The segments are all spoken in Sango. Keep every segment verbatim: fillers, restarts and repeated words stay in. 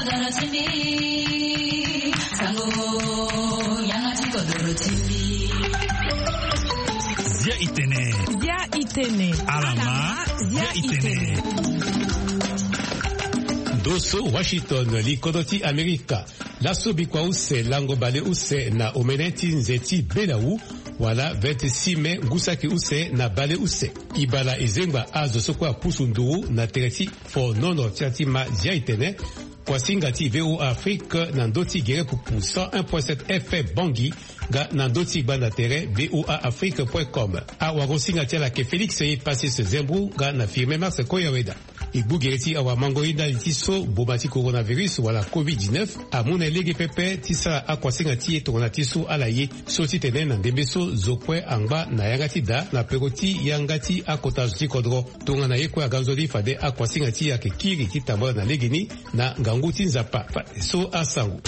Zia itene. Zia itene. Alama. Zia itene. Ndo so Washington, li kodro ti Amerika. Laso bikua use lango bale use na omene ti nze ti belawu, wala vingt-six mai ngu saki use na bale use. Ibala ezengba azo so kue apusu nduru na tere ti fonono ti ati ma zia itene. Kuasinga ti VOA Afrique na ndo ti gere pupu cent un point sept F M Bangui, nga na ndo ti gbanda tere VOA Afrique point com. Awagosinga ti ala ke Félix ye Pasis Zembro nga na Firmin Mars Koyaweda. E gbu gere ti awamango ye ndali ti so boma ti coronavirus wala covid dix-neuf amu na e lege pepe ti sara akuasinga ti e tongana ti so ala ye. So ti tene na ndembe so zo kue angba na yanga ti da na peko ti yanga ti akota zo ti kodro. Tongana ye kue aga nzoni fade akuasinga ti e ayeke kiri ti tambula na legeni na ngangu ti Nzapa. Fade so asango.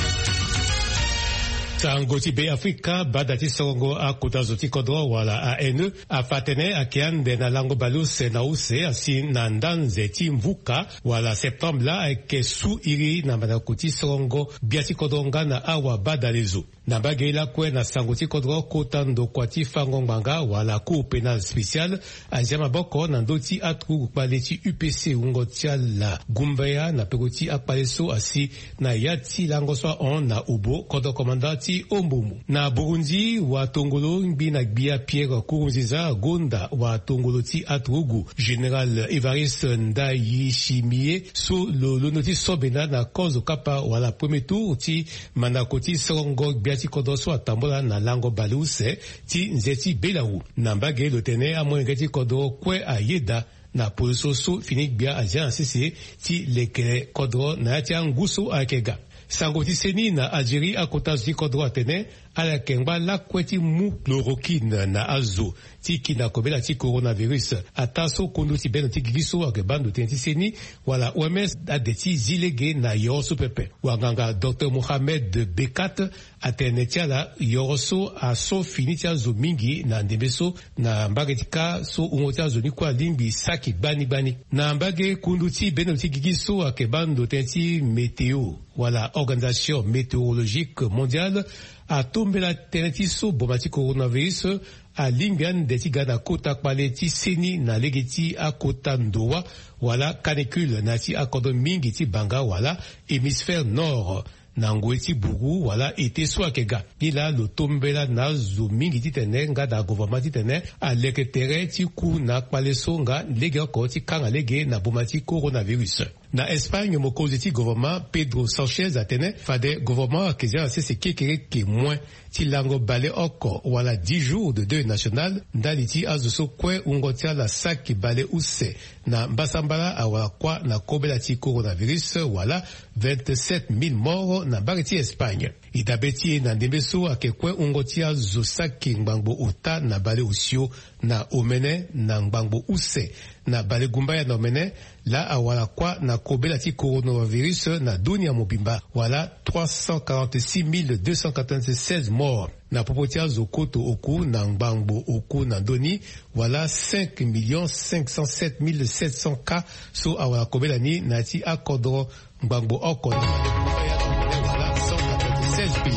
Sango ti Be Afrika, bada ti sorongo akota zo ti kodro wala A N E, afa atene ayeke ande na lango bale use na use asi na nda nze ti mvuka wala septembre laa ayeke su iri na mandako ti sorongo gbia ti kodro nga na awabadale zo. Na mbage lakue na sango ti kodro, kota ndokua ti fango ngbanga wala Cour pénale spéciale azia maboko na ndö ti aturugu kpale ti U P C wungo ti ala gumbaya na peko ti akpale so asi na ya ti lango so ahon na obo kodro komanda ti Ombomo. Na Burundi, watongolo ngbi na gbia Pierre Nkurunziza agonda watongolo ti aturugu Général Évariste Ndayishimiye so lo londo ti so benda na kozo kapa wala premier tour ti mandako ti sorongo gbia ti kodro so atambula na lango baleuse ti nze ti belawu. Na mbage lo tene amolenge ti kodro kue ayeda na poloso so fini gbia azia na sese ti lekere kodro na ya ti angu so ayeke ga. Sango ti seni na Algérie, akota zo ti kodro atene ala yeke ngba lakue ti mu chloroquine na azo ti ki na kobela ti coronavirus. Ataa so kundu ti bendo ti gigi so ayeke baa ndo tënë ti seni wala O M S ade ti zi lege na yoro so pepe. Wanganga Docteur Mohamed Bekat atene ti ala yoro so aso fini ti azo mingi na ndembe so na mbage ti ka so wungo ti azo ni kue alingbi saki gbani gbani. Na mbage kundu ti bendo ti gigi so ayeke baa ndo tënë ti météo wala Organisation Météorologique Mondiale atombela tënë ti so boma ti coronavirus alingbi ande ti ga na kota kpale ti seni na lege ti akota ndowa wala canicule na ya ti akodro mingi ti banga wala hémisphère nord na ngoi ti buru wala été so ayeke ga. Nilaa lo tombela na azo mingi titene nga na gouvernement titene aleke tere ti ku na kpale so nga legeoko ti kanga lege na boma ti coronavirus. Na Espagne, mokonzi ti gouvernement Pedro Sanchez atene fade gouvernement ayeke zia na sese kekereke moins ti lango baleoko wala dix jours de deuil national ndali ti azo so kue wungo ti ala saki baleuse na mbasambala awara kuâ na kobela ti coronavirus wala vingt-sept mille morts na mbage ti Espagne. E dabe ti e na ndembe so ayeke kue wungo ti azo saki ngbangbo ota na baleosio na omene na ngbangbo use na balegumbaya na omene laa awara kuâ na kobela ti coronavirus na dunia mobimba wala trois cent quarante-six mille deux cent quatre-vingt-seize morts. Na popo ti azo koto oku na ngbangbo oku na ndö ni wala cinq millions cinq cent sept mille sept cents cas so awara kobela ni na ya ti akodro ngbangbo oko na wala cent quatre-vingt-seize pays.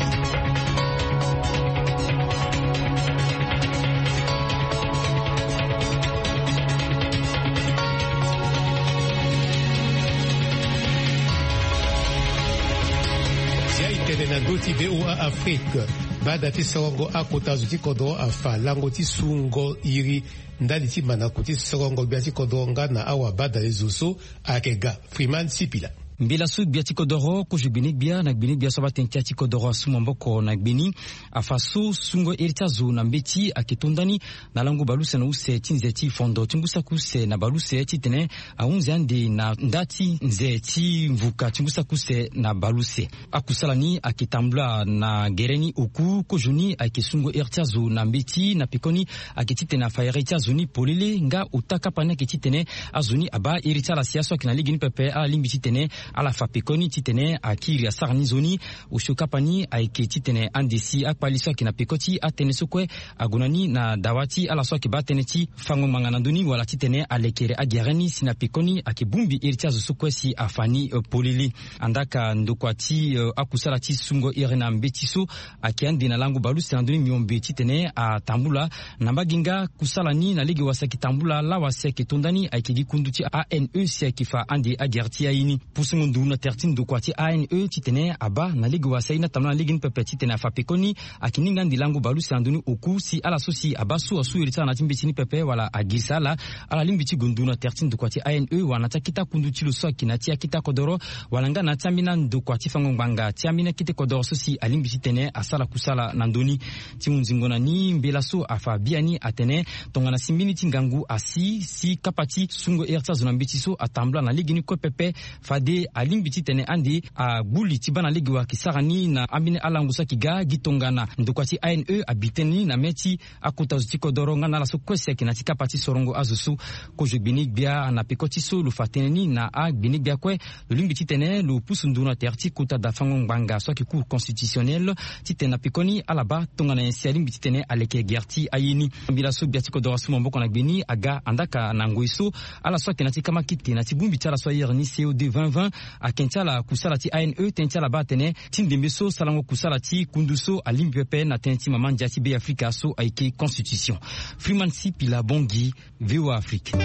Zia itene na ndö ti VOA Afrique. Bada ti sorongo akota zo ti kodro afa lango ti sungo iri ndali ti mandako ti sorongo gbia ti kodro nga na awabadale zo so ayeke ga. Freeman Sipila. Mbela so gbia ti kodoro kozo gbeni gbia na gbeni gbia so abatene ti ya ti kodoro asu maboko na gbeni afa so sungo iri ti azo na mbeti ayeke to ndani na lango baleuse na use ti nze ti fondo ti ngu saki use na baleuse titene ahunzi ande na nda ti nze ti mvuka ti ngu saki use na baleuse. Akusala ni ayeke tambula na gere ni oku kozo ni ayeke sungo iri ti azo na mbeti na pekoni ayeke titene afa iri ti azo ni polele nga ota kapa ni ayeke titene azo ni abaa iri ti ala si aso ayeke na lege ni pepe ala lingbi titene Ala fa pekoni titene akiri asara ni nzoni. Osio kapa ni ayeke titene ande si akpali so ayeke na peko ti atënë so kue ague na ni na dawa ti ala so ayeke baa tënë ti fango ngbanga na ndö ni wala titene alekere agere ni si na pekoni ayeke bongbi iri ti azo so kue si afa ni polele. Andaa ka ndokua ti akusala ti sungo iri na mbeti so ayeke ande na lango baleuse na ndö ni miombe titene atambula na mbage nga kusala ni na lege wa si ayeke tambula lawa si ayeke to nda ni ayeke gi kundu ti ane si ayeke fa ande agere ti aye ni. Pusungo nduru na tere ti ndokua ti ane titene abaa na lege wa si aye ni atambula na lege ni pepe titene afa pekoni ayeke ni nga ande lango baleuse na ndö ni oku si ala so si abaa so asu iri ti ala na ya ti mbeti ni pepe wala agirisa ala. Ala lingbi ti gue nduru na tere ti ndokua ti ane wala na ya ti akete akundu ti lo so ayeke na ya ti akete akodoro wala nga na ya ti ambeni andokua ti fango ngbanga ti ambeni akete kodoro so si alingbi titene asara kusala na ndö ni. Ti hunzingo na ni mbela so afa biani atene tongana si mbeni ti ngangu asi si kapa ti sungo iri ti azo na mbeti so atambula na lege ni kue pepe fade alingbi titene ande agbu li ti baa na lege wa ayeke sara ni na ambeni alango so ayeke ga gi tongana ndokua ti ane abi tënë ni na mê ti akota zo ti kodoro nga na ala so kue si ayeke na ya ti kapa ti sorongo azo so. Kozo gbene-gbia na peko ti so lo fa tënë ni na agbene-gbia kue lo lingbi titene lo pusu nduru na tere ti kota da fango ngbanga so ayeke cour constitutionnelle titene na pekoni ala baa tongana nyen si alingbi titene aleke gere ti aye ni. Mbela so gbia ti kodoro asu maboko na gbe ni aga andaa ka na ngoi so ala so ayeke na ya ti kamakite na ya ti bongbi ti ala so ayere ni cod vingt vingt. Ayeke ti ala kusala ti ane tënë ti ala baa atene ti ndembe so sarango kusala ti kundu so alingbi pepe na tënë ti mama ndia ti be afrika so ayeke constitution. Freeman sipila bongi. Voa afrique. E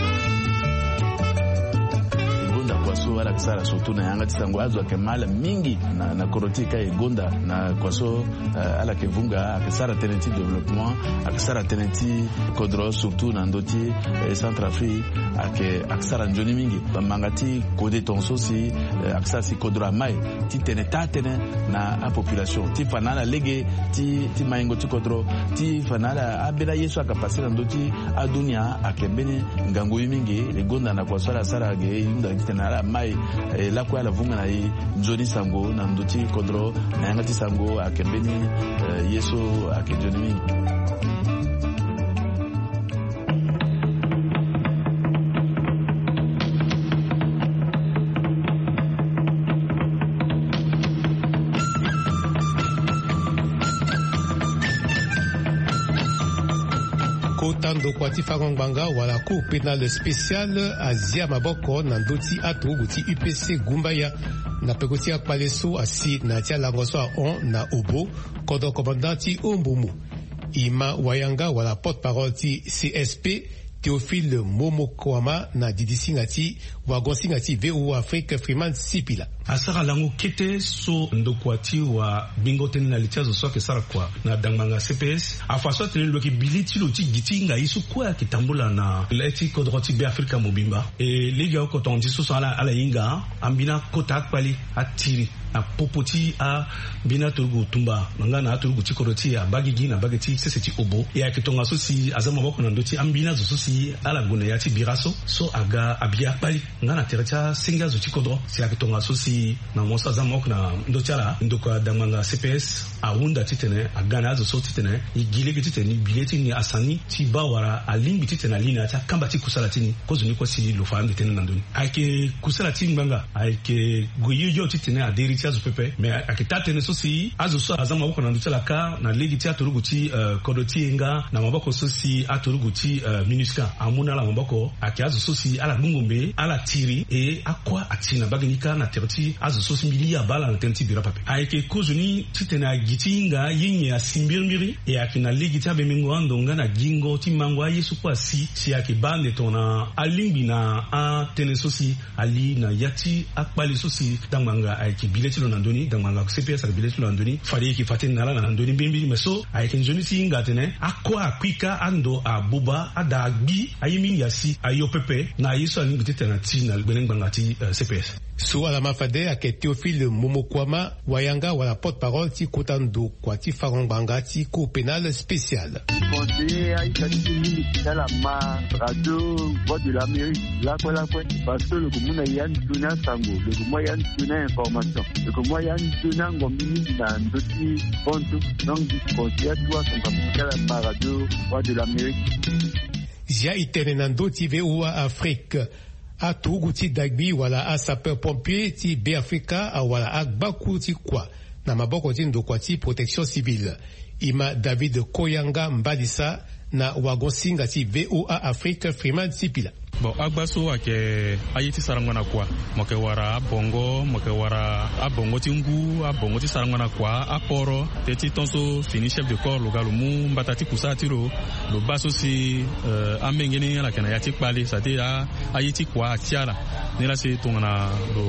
gonda kua so ala yeke sara surtout na yanga ti sango azo ayeke ma ala mingi na koro ti e ka e gonda na kua so ala yeke vunga ayeke sara tënë ti développement, ayeke sara tënë ti kodro surtout na ndö ti centre afrique. Ayeke sara nzoni mingi bambanga ti kode tonga so si ayeke sara si kodro amai ti tene taa tënë na apopulation ti fa na ala lege ti maingo ti kodro ti fa na ala ambeni aye so ayeke pase na ndö ti adunia ayeke mbeni ngangu ye mingi. E gonda na kua so ala sara ge e hunda titene ala mai e lakue ala vunga na e nzoni sango na ndö ti kodro na yanga ti sango ayeke mbeni ye so ayeke nzoni mingi. Kota ndokua ti fango ngbanga wala cour pénale spéciale azia maboko na ndö ti aturugu ti upc gumbaya na peko ti akpale so asi na ya ti alango so ahon na obo kodro commandant ti ombumu. Ima wayanga wala porte-parole ti csp théophile momokoama na didi singa ti wagon singa ti voa afrique freeman sipila. Asara lango kete so ndokua ti wa bingo tënë na li ti azo so ayeke sara kua na dangbanga cps afa so atene lo yeke bi le ti lo ti gi ti hinga ye so kue ayeke tambula na le ti kodro ti be afrika mobimba. E lege oko tonga ti so so ala ala hinga ambeni akota akpale atiri na popo ti ambeni aturugu tumba nga na aturugu ti kodro ti e abagigi na mbage ti sese ti obo e ayeke tongaso si aza maboko na ndö ti ambeni azo so si ala gue na ya ti bira so so aga abi akpali nga na tere ti asenge azo ti kodro si ayeke tongaso si na mo so aza maboko na ndö ti ala ndokua dangbanga cps ahunda titene aga na azo so titene e gi lege titene e bi le ti ni asani ti baa wala alingbi titene ali na ya ti akamba ti kusala ti ni. Kozoni kue si lo fa ande tënë na ndö ni ayeke kusala ti ngbanga ayeke gue yoyo titene aderi ti azo pepe me ayeke taa tënë so si azo so aza maboko na ndö ti ala kâ na lege ti aturugu ti kodro ti e nga na maboko so si aturugu ti minusca amu na ala maboko ayeke azo so si ala gbongombe ala tiri e akua atiri na mbage ni kâ na tere ti azo so si mbi li abaa ala na tënë ti bira pepe. Ayeke kozoni titene agi ti hinga ye nyen asi mbirimbiri e ayeke na lege ti abemengo ando nga na gingo ti mango aye so kue asi si ayeke baa ande tongana alingbi na atënë so si ali na ya ti akpale so si dangbanga ayeke bi le ti lo na ndö ni dangbanga cps ayeke bi le ti lo na ndö ni fade e yeke fa tënë na ala na ndö ni mbirimbiri me so ayeke nzoni ti hinga atene akua akui kâ ando abuba ada agbi aye mingi asi ayo pepe na aye so alingbi titene ati na gbene ngbanga ti cps. So ala ma fade ayeke théophile momokuama wayanga wala porte-parole ti kota ndokua ti fango ngbanga ti cour pénale spéciale. Conseiller aita ti ti mingi ti ala ma radio voix de l'amérique lakue lakue parce que lo yeke mu na ya nzoni asango lo yeke mu ya nzoni ainformation lo yeke mu ya nzoni angombi mingi na ndö ti bontu. Donc conseiller atu asango amu ti ala ma radio voix de l'amérique. Zia e tene na ndö ti voa afrique. Aturugu ti dagbi wala asapeur pompier ti Beafrika awara agbakuru ti kua na maboko ti ndokua ti protection civile. E ma David Koyanga Mbalisa na wagon-singa ti VOA Afrique, Freeman Sipila. Bon, agba so ayeke aye ti sarango na kua. Mo yeke wara abongo, mo yeke wara abongo ti ngu, abongo ti sarango na kua, aporo, teti ton so fini chef de corps lo ga lo mu mbata ti kusala ti lo. Lo baa so si, eh, ambenge ni ala yeke na ya ti kpale, c'est-à-dire a, aye ti kua atia ala. Ni laa si tongana lo,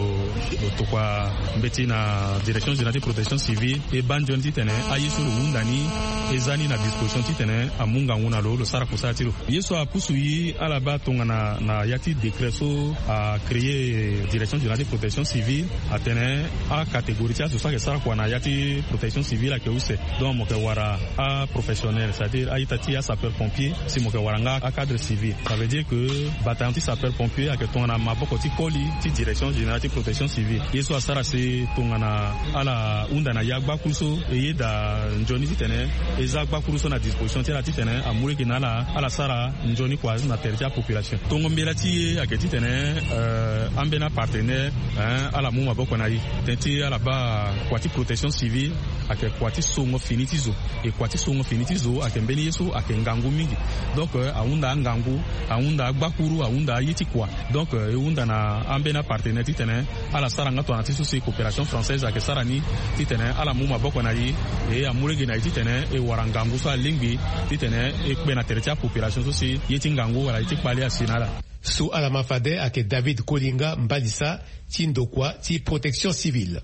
lo tokua mbeti na direction générale ti protection civile, e baa nzoni titene aye so lo hunda ni, e za ni na disposition titene amu ngangu na lo, lo sara kusala ti lo. Ye so apusu e ala baa tongana na ya ti décret so acréer direction générale ti protection civile, atene acatégorie ti azo so ayeke sara kua na ya ti protection civile ayeke use. Donc mo yeke wara aprofessionnel, c'est-à-dire a-ita ti asapeur pompier, si mo yeke wara nga acadre civil. Ça veut dire que bataillon ti sapeur pompier ayeke tongana maboko ti koli ti direction générale ti protection civile. Ye so asara si tongana ala hunda na ye agbakuru so, e yeda nzoni titene e za agbakuru so na disposition ti ala titene amu lege na ala, ala sara nzoni kua na tere ti apopulation. Tongo mbela ti e ayeke titene, eh, ambeni apartenaire, eh, ala mu maboko na e. Tënë ti ala baa kua ti protection civile ayeke kua ti songo fini ti zo. E kua ti songo fini ti zo ayeke mbeni ye so ayeke ngangu mingi. Donc, eh, ahunda angangu, ahunda agbakuru, ahunda aye ti kua. Donc, eh, e hunda na ambeni apartenaire titene ala sara nga tongana ti so si coopération française ayeke sara ni, titene ala mu maboko na e, e amu lege na e titene e wara ngangu so alingbi, titene e kpe na tere ti apopulation so si ye ti ngangu wala ye ti kpale asi na ala. So ala ma fade ayeke David Kolinga Mbalisa ti ndokua ti protection civile.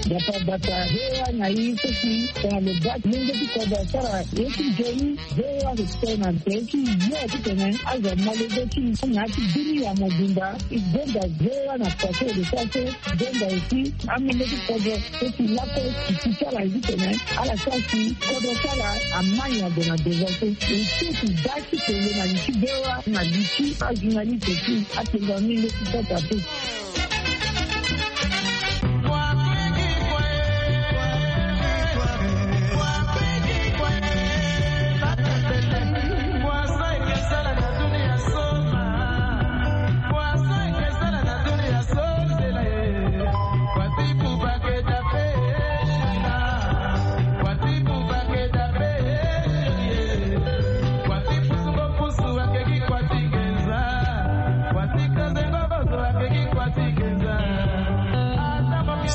Bata bata, V O A na e so si tongana lo baa ti lenge ti kodro asara ye ti nzoni, V O A ayeke tene na tere ti yo titene azo amolenge ti na ya ti bini ya mobimba. E gonda V O A na kua so e lo sara so, gonda aussi amolenge ti kodro so si lakue e si ti ala ye titene ala sara si kodro ti ala amai ague na devant so. E so si baa ti kele na li ti V O A na li ti ajournaliste ti atengua mingi ti Centrafrique.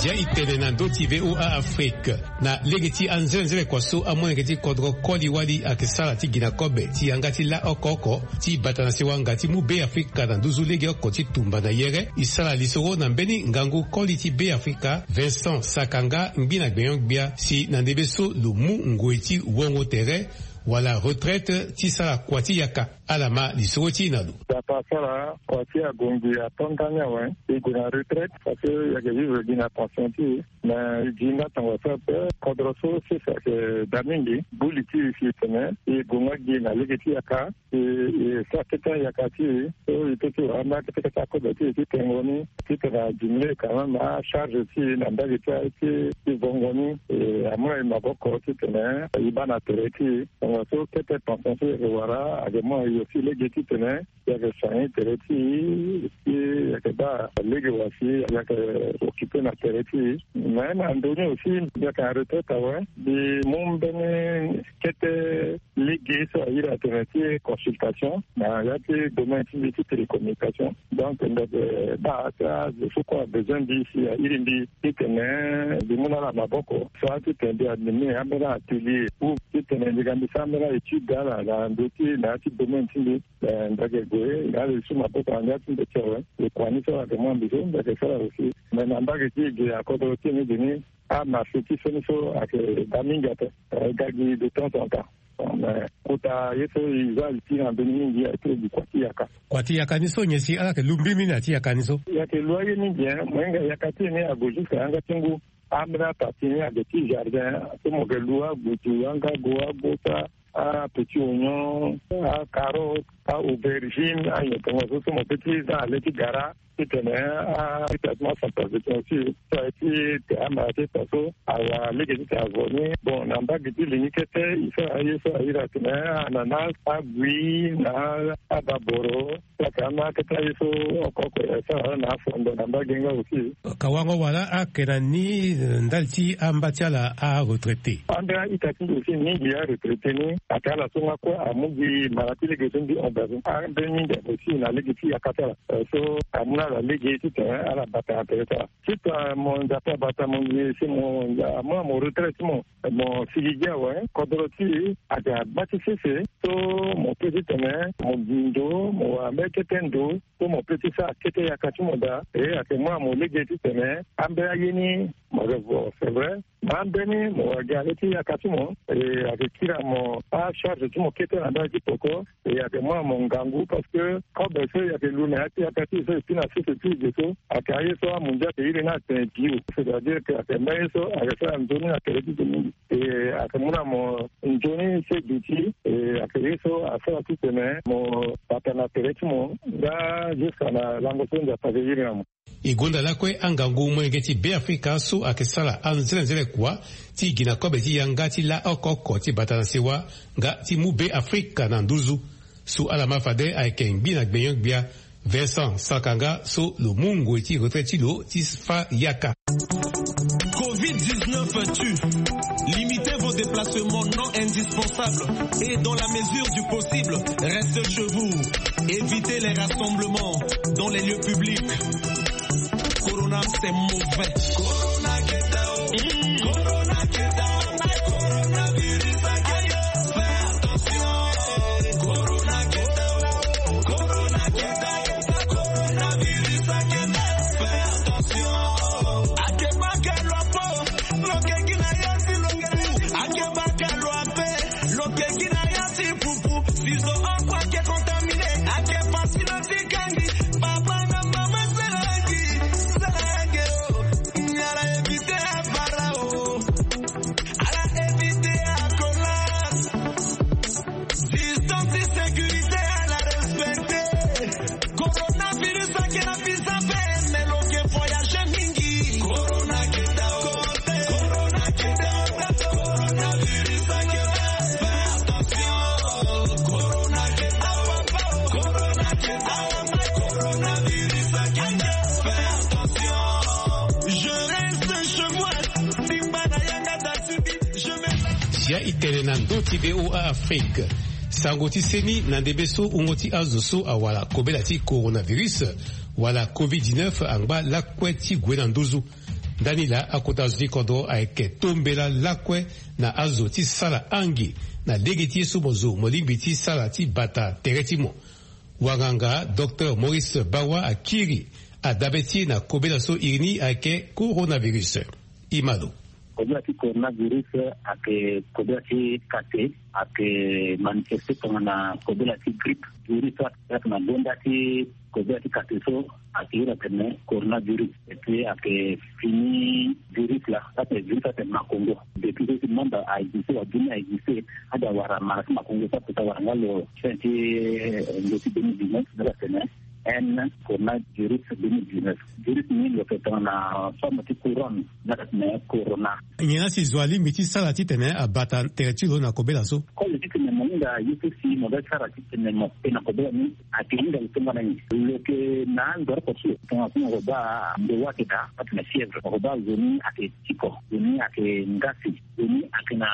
Zia e tene na ndö ti V O A Afrique. Na lege ti anzenenzele kua so amolenge ti kodro koli wali ayeke sara ti gi na kobe ti yanga ti la oko oko ti bata na sewa nga ti mu Beafrika na nduzu legeoko ti tumba na yere, e sara lisoro na mbeni ngangu koli ti Beafrika, Vincent Sakanga, ngbi na gbenyo-gbia, si na ndembe so lo mu ngoi ti wongo tere wala retraite ti sara kua ti yaka. Ala ma lisoro ti e na lo. Dapa asara kua ti ague ngbii ato ndani awe, e gue na retraite parce que e yeke vivre gi na pension ti e. Mais e gi nga tongaso ape, kodro so sese ayeke daa mingi. Buli ti e si e tene e gue nga gi na lege ti yaka. E, e sara kete ayaka ti e so e peut ti wara ambeni akete kete akobe ti e ti tengo ni, titene a diminuer quand même acharge ti e na mbage ti aye ti, ti vongo ni. E amu na e maboko titene e baa na tere ti e. Tongaso kete pension so e yeke wara ayeke mu na e aussi lege titene e yeke soigner tere ti e, si e yeke baa lege wa si e yeke occuper na tere ti e. Mais na ndo ni aussi mbi yeke na retraite awe, mbi mu mbeni kete lege so a iri atene ti consultation na ya ti domaine ti mbi ti télécommunication. Donc mbi yeke baa ti azo so kue abezoin mbi si a iri mbi titene mbi mu na ala maboko. Sara titene mbi anime ambeni atelier ou titene mbi ga mbi sara ambeni étude ala na ndö ti na ya ti domaine ti mbi. Eh, mbi yeke gue na ala e su maboko na ndia ti mbi ti awe. E kua ni so ala yeke mu na mbi so mbi yeke sara aussi. Mais na mbage ti e ge akodro ti e ni ge ni, amarché ti so ni so ayeke daa mingi ape. Eh, e ga gi de temps en temps. Mais kota ye so e za li ti na mbeni mingi ayeke gi kua ti yaka. Kua ti yaka ni so nyen si ala yeke lu mbirimbiri na ya ti yaka ni so? E yeke lu aye mingi, hein. Mohinga yaka ti e ni ague jusqu'à yanga ti ngu. Ambeni apartie ni ayeke ti jardin so mo yeke lu agudu, angago, agota, apetit oignon, acarotte, aubergine, anyotongo so so mo pe ti za na le ti gara. Titene a ita ti mo asantra ti mo si so aye ti te ama ti ita so awa lege titene avo ni. Bon, na mbage ti li ni kete e sara aye so a iri atene ananas, agui na ababoro. Saka ama kete aye so oko oko e sara na afondo na mbage nga aussi. Ka wango wala ake na ni ndali ti amba ti ala aretraité. Ande a-ita ti mbi aussi mingi aretraité ni ake ala so nga kue amu gi mara ti lege so mbi hon be azo ande mingi ake aussi na lege ti yaka ti ala. Eh, so amu na ala lege titene ala bata na tere ti ala. Titene mo nzapa bata mo ngi si mo nza amu na mo retraite ti mo. Mo sigi gi awe kodoro ti e ate agba ti sese. So mo pe titene mo gi ndo mo wara mbeni kete ndo. So mo pe ti sara kete yaka ti mo daa e ate mu na mo lege titene ambeni aye ni mo revo c'est vrai. Ma ambeni mo wara gi ale ti yaka ti mo e ate kiri na mo acharge ti mo kete na ndali ti poko. E ate mu na mo ngangu parce que kobe so e ate lu na ya ti yaka ti e so e pi na sese ti e ge so ate aye so amundia ate iri ni atene bio c'est à dire que ate mbeni ye so ate sara nzoni na tere ti e mingi. E ake mu na mo nzoni se duti e ake ye so asara titene mo bata na tere ti mo nga jusqu'à na lango so nzapa ake iri na mo. E gonda lakue angangu molenge ti Beafrika so ake sara anzenenzele kua ti gi na kobe ti yanga ti la oko oko ti bata na sewa nga ti mu Beafrika na nduzu. So ala ma fade ayeke ngbi na gbenyo-gbia Vincent Sakanga so lo mu ngoi ti retraite ti lo ti fa yaka. Covid dix-neuf tue. Limitez vos déplacements non indispensables et dans la mesure du possible, restez chez vous. Évitez les rassemblements dans les lieux publics. Corona, c'est mauvais. Corona, get down. Corona, get down. Coronavirus, get down. Fais attention. Corona, get down. Corona, get down. Coronavirus, get down. Fais attention. Akeba ke lo po. Lo ke gi na ya si lo ke. Akeba ke lo ape. Lo ke gi na ya si pupu. Si zo oko ake contaminé. Ake pasi na ti kangi. Papa na mama salangi. Salangi o. Ala éviter avara o. Ala éviter akola. Distance sécurité ala respecter. Coronavirus ake na visa pe mais lo ke voyager mingi. Corona ke down. Corona ke down. Coronavirus ake down. Fais attention. Corona ke down. Corona ke down. Coronavirus ake down. Fais attention. Je reste chez moi. Simba na yanga. Zia e tene na ndö ti V O A Afrique. Sango ti seni na ndembe so wungo ti azo so awara kobela ti coronavirus wala covid dix-neuf angba lakue ti gue na nduzu. Ndani laa akota azo ti kodro ayeke tombela lakue na azo ti sara ange na lege ti ye so mo zo mo lingbi ti sara ti bata tere ti mo. Wanganga Docteur Maurice Bawa akiri adabe ti e na kobela so iri ni ayeke coronavirus. Imalo. Kobela ti coronavirus ayeke kobela ti kate, ayeke manifeste tongana kobela ti grippe. Virus so ayeke na gonda ti kobela ti kate so ayeke iri atene coronavirus. Et puis ayeke fini virus laa, ayeke virus ayeke makongo. Depuis so si monde a existe, wa dunia a existe, ade awara mara ti makongo so aputa wara nga lo fin ti, eh, nge ti deux mille dix-neuf, nde atene N coronavirus deux mille dix-neuf. Virus ni lo yeke tongana forme ti couronne, nde atene corona. Nyen la si zo alingbi ti sara titene abata tere ti lo na kobela so? Comme ti tene mo hinga ye so si mo ga sara titene mo pe na kobela ni, ayeke hinga lo tongana nyen? Lo yeke na ando oko so lo tongana so mo ko baa ndo wa ayeke daa, atene fièvre. Mo ko baa zo ni ayeke tiko, zo ni ayeke ngasi, zo ni ayeke na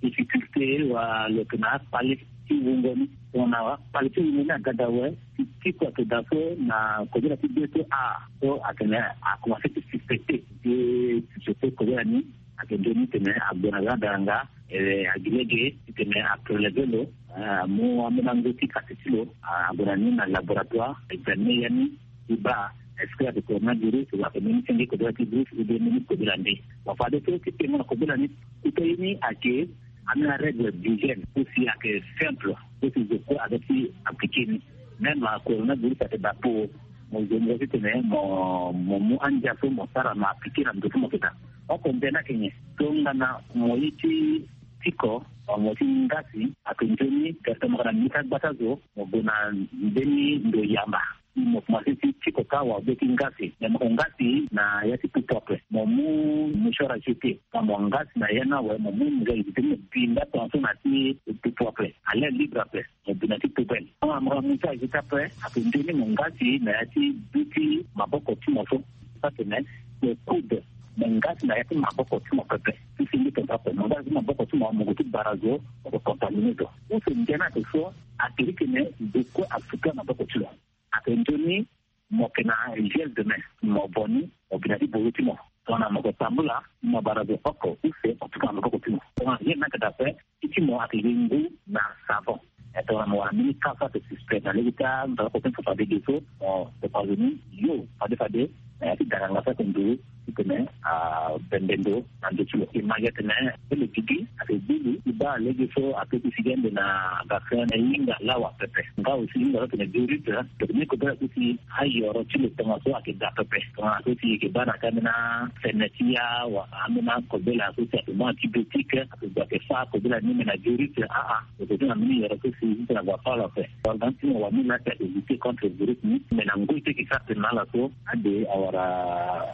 difficulté, wa lo yeke na akpale ti wungo ni. Tongana akpale ti wungo ni aga daa awe, ti, ti kua ayeke daa so na kobela ti be so a so atene akomanse ti suspecté ti suspecté kobela ni. Ayeke nzoni titene ague na lada nga, eh, agi lege titene apreleve lo, eh, amu ambeni ango ti kati ti lo, ah, ague na ni na laboratoire, examine ya ni ti baa est-ce que ayeke coronavirus, wala ayeke mbeni senge kobela ti virus, ou bien mbeni kobela nde. Bon, fade so ti tengo na kobela ni, kota ye ni ayeke ambeni arègle d'hygiène, aussi ayeke simple, aussi zo kue aza ti appliqué ni. Même, ah, coronavirus ayeke daa po mo zo mo titene mo, mo mu andia so mo sara mo appliqué na ndo so mo yeke daa. Oko nde ni ayeke nyen? Tongana mo ye ti tiko, mo ti ngasi, ake nzoni, gere ti mo ka na mbi ti agbata zo, mo gue na mbeni ndo yamba. Mo komanse ti tiko ka wa be ti ngasi. Me mo ko ngasi na ya ti pupu ape. Mo mu mouchoir à jeter. Ka mo ngasi na ya ni awe, mo mu nzoni ti mo bi nda tongaso na ti pupu ape. À l'air libre ape. Mo bi na ti poubelle. Tongana mo ga mouchoir à jeter ape, ake nzoni mo ngasi na ya ti bi ti maboko ti mo so. Atene, mo coude, mo ngasi na ya ti maboko ti mo pepe. Ti senge tongaso ape. Mo ngasi maboko ti mo, mo gue ti bara zo, mo ko contaminer zo. Use ndia ni ape so, ake iri tene, zo kue asuka maboko ti lo. Ake nzoni, mo yeke na gel de main, mo bo ni, mo bi na ti bozo ti mo. Tongana mo yeke tambula, mo bara zo oko, use, mo tuka na maboko ti mo. Tongana gel ni ayeke daa ape, ti ti mo ayeke gi ngu na savon. E tongana mo wara mbeni ka so ayeke suspect na lege ti amaboko ti mo fade ge so, mo topa zo ni, yo, fade fade, na ya ti danganga so ayeke nduru, titene abembe ndo na ndö ti lo. E ma gi atene, ti lo gigi, ake gbu lo, ti baa lege so ape ti sigi ande na vaccin na hinga lawa pepe. Nga aussi hinga so atene diurite, tene kobela so si ayoro ti lo tongaso ayeke daa pepe. Tongana so si e yeke baa na ka ambeni afene ti ya, wala ambeni akobela so si ake mu antibiotique, ake gue ake fâ kobela ni me na diurite, aa. Lo yeke ti na mbeni yoro so si ti tene ague afâ lo ape. Wala ti mo wani laa ti ake lutter contre virus ni, me na ngoi ti e yeke sara tene na ala so, ade awara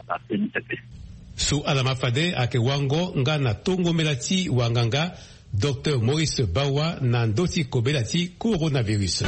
vaccin ni pepe. So ala ma fade ayeke wango nga na tongombela ti wanganga, Docteur Maurice Bawa, na ndö ti kobela ti coronavirus.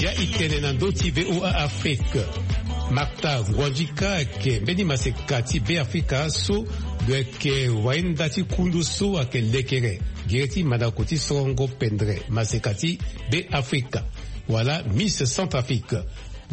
Zia e tene na ndö ti V O A Afrique. Martha Ngouandjika ayeke mbeni maseka ti Beafrika so lo yeke wayenda ti kundu so ayeke lekere gere ti mandako ti sorongo pendre maseka ti Beafrika, wala Miss Centrafrique.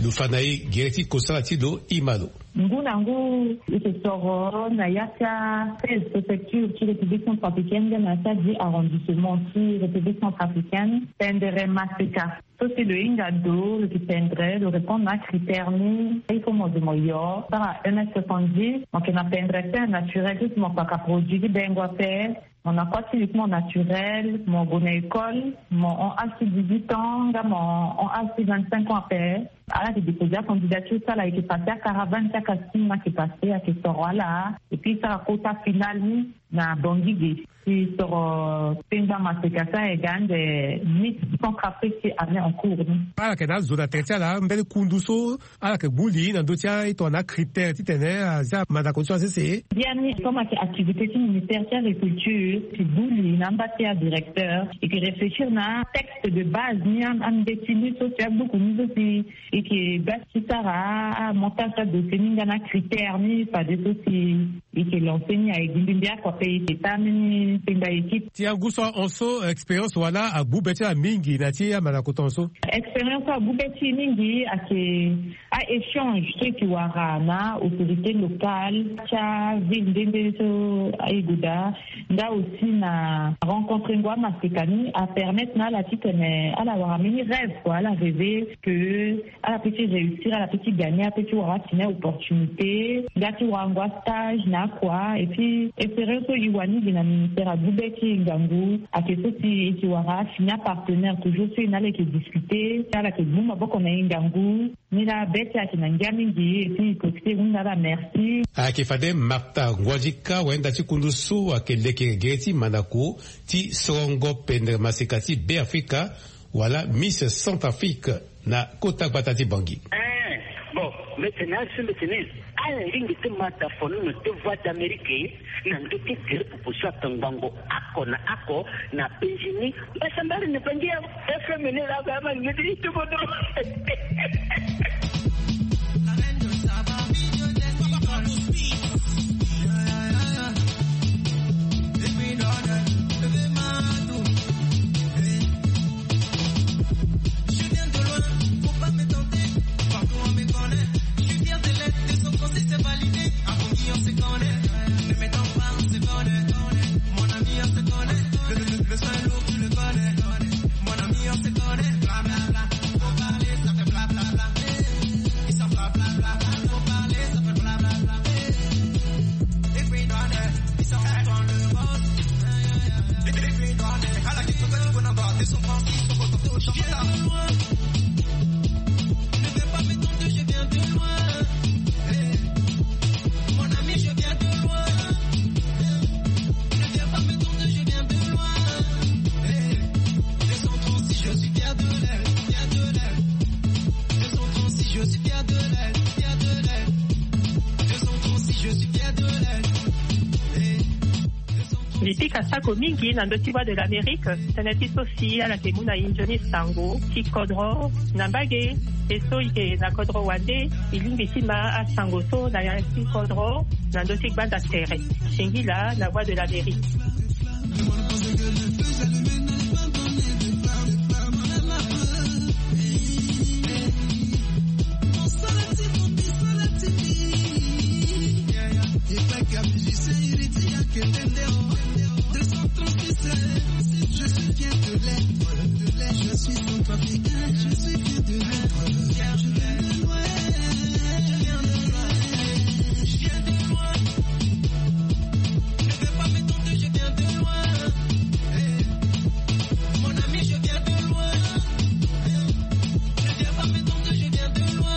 Lo fa na e gere ti kosala ti lo, e ma lo. Ngu na ngu e yeke soro na ya ti a seize préfecture ti République centrafricaine nga na ya ti a dix arrondissement ti République centrafricaine pendre maseka. So si lo hinga ndo, lo yeke pendre, lo répondre na acritère ni, il faut mo zo mo yo sara M S soixante-dix, mo yeke na pendre teint naturel, so si mo kpaka produit ti bengo ape. Mo na kua ti lo ti mo naturel, mo gue na école, mo hon âge ti dix-huit ans nga mo hon âge ti vingt-cinq ans ape. Ala yeke déposer acandidature ti ala, e yeke passer acaravane ti acasting, ayeke passer, ayeke soro ala. Et puis e sara kota final ni na Bangui ge. Si soro pengba maseka so ayeke ga ande Miss Centrafrique ti année en cours ni. Ala yeke na azo na tere ti ala, mbeni kundu so ala yeke gbu li na ndö ti a, e tongana acritère titene azia mandako ti so asese. Biani comme ayeke activité ti ministère ti agriculture, e gbu li na amba ti adirecteur, e yeke réfléchir na texte de base ni, am- ambeti ni so si abuku ni so si e yeke baa ti sara amontage ti adossier ni nga na acritère ni fade so si e yeke lancer ni. Ayeke gi mbi mbi oko ape, e yeke taa mbeni pengba équipe. Ti angu so ahon so, expérience wala agbu be ti ala mingi na ti amandako tongaso? Expérience so agbu be ti e mingi ayeke a-échange so e yeke wara na autorité locale ti aville nde nde so e gue daa, nga aussi na rencontrer ngo amaseka ni apermettre na ala titene ala wara mbeni rêve kua, ala rêver que ala peut ti réussir, ala peut ti gagner, ala peut ti wara atene opportunité nga ti warango astage na akua. Et puis espérance so e wani gi na ministère agbu be ti e ngangu ayeke so si e yeke wara afini apartenaire toujours so e na ala yeke discuter, ala yeke gbu maboko na e ngangu. Ni laa be ti e ayeke na ngia mingi, et puis e profiter e hunda ala merci. Ayeke fade Martha Ngouadjika, wayenda ti kundu so ayeke leke gere ti mandako ti sorongo pendre maseka ti Beafrika, wala Miss Centrafrique na kota gbata ti Bangui. Eh, bon, mbi tene asi mbi tene, ala lingbi ti ma da fo ni na ti Voix d'Amérique na ndö ti gere pupu so atongbango oko na oko na penzi ni. Mbasambala ni Bangui ya F M ni la ga ma ngiti ti kodro. Mbi pika sako mingi na ndö ti Voix de l'Amérique. Tënë ti so si ala yeke mu na e nzoni sango ti kodro na mbage. E so e yeke na kodro wande, e lingbi ti ma asango so na ya ti kodro na ndö ti gbanda tere. Singila na Voix de l'Amérique.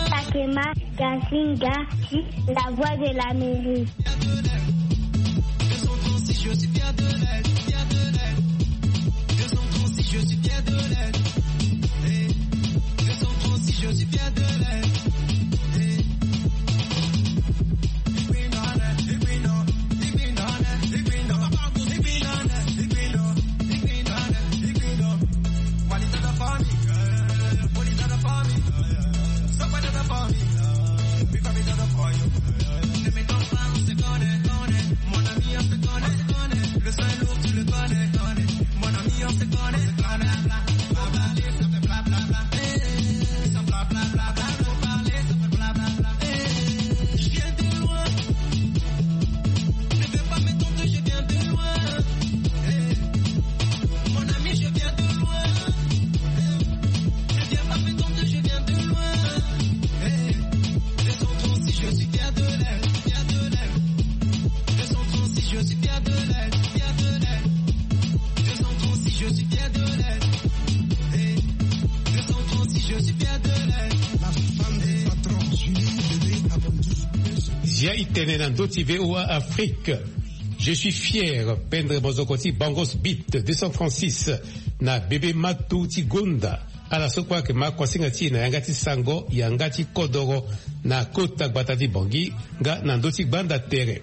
Takema Gasinga, la Voix de l'Amérique. Zia e tene na ndö ti V O A Afrique. Je suis fier, pendre mozoko ti Bangos Beat deux cent trente-six na bebe matu ti gonda. Ala so kue ayeke ma kuasinga ti e na yanga ti sango, yanga ti kodoro na kota gbata ti Bangui nga na ndö ti gbanda tere.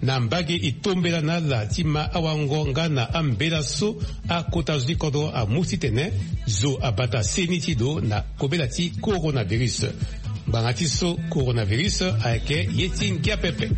Na mbage e tombela na ala ti ma awango nga na ambela so akota zo ti kodro amu titene zo abata seni ti lo na kobela ti coronavirus. Ngbanga ti so coronavirus ayeke ye ti ngia pepe.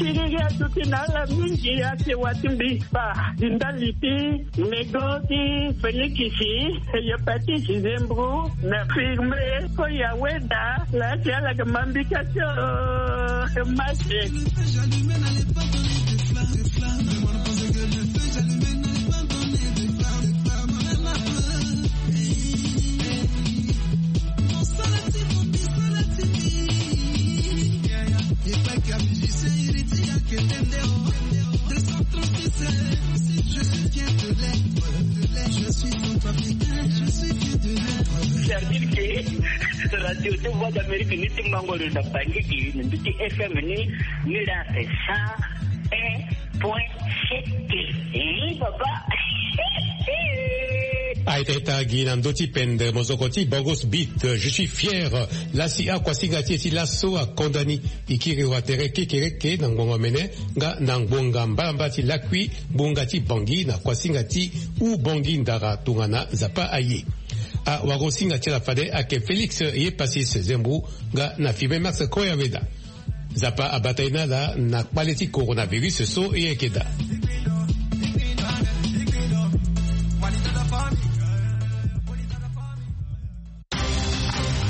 Siriri aduti na ala mingi, asewa ti mbi fa di ndali ti nego ti Félix, hepatite, zembro, na firme, ko ya weda. Lasi ala yeke ma mbi ka ti o mase. C'est-à-dire que radio ti Voix d'Amérique ni ti mango lo na Bangui, ni mbi ti F M ni, ni la c'est cent un point sept. Eh, papa. Aita ita gi na ndö ti pendre mozoko ti Bangos Beat, je suis fier. Lasi akuasinga ti e ti laso akonda ni. E kiri wa tere kekereke na ngbonga omene nga na ngbonga mbalambala ti lakui, ngbonga ti Bangui na kuasinga ti Oubangui Ndara tongana Nzapa aye. Awarosinga ti ala fade ayeke Félix ye Passis Zembu nga na Firmin Max Koyaveda. Nzapa abata ye na ala na kpale ti coronavirus so ye yeke daa.